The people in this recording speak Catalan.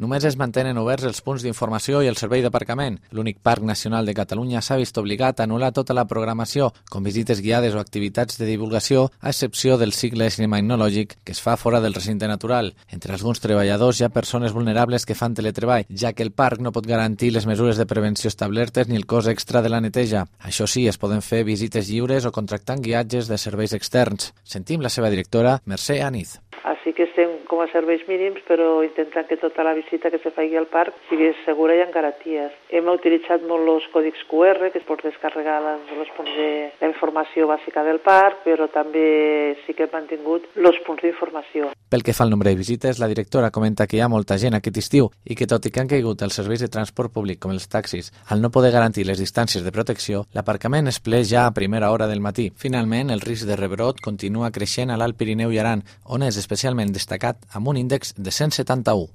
Només es mantenen oberts els punts d'informació i el servei d'aparcament. L'únic Parc Nacional de Catalunya s'ha vist obligat a anul·lar tota la programació, com visites guiades o activitats de divulgació, a excepció del cicle cinemagnològic que es fa fora del recinte natural. Entre alguns treballadors hi ha persones vulnerables que fan teletreball, ja que el parc no pot garantir les mesures de prevenció establertes ni el cost extra de la neteja. Això sí, es poden fer visites lliures o contractant guiatges de serveis externs. Sentim la seva directora, Mercè Aniz. Així que estem com a serveis mínims, però intentant que tota la visita que se faci al parc sigui segura i amb garanties. Hem utilitzat molt els còdics QR, que es pot descarregar els punts de la informació bàsica del parc, però també sí que hem mantingut els punts d'informació. Pel que fa al nombre de visites, la directora comenta que hi ha molta gent aquest estiu i que tot i que han caigut els serveis de transport públic com els taxis, al no poder garantir les distàncies de protecció, l'aparcament es ple ja a primera hora del matí. Finalment, el risc de rebrot continua creixent a l'Alt Pirineu i Aran, on és especialment destacat amb un índex de 171.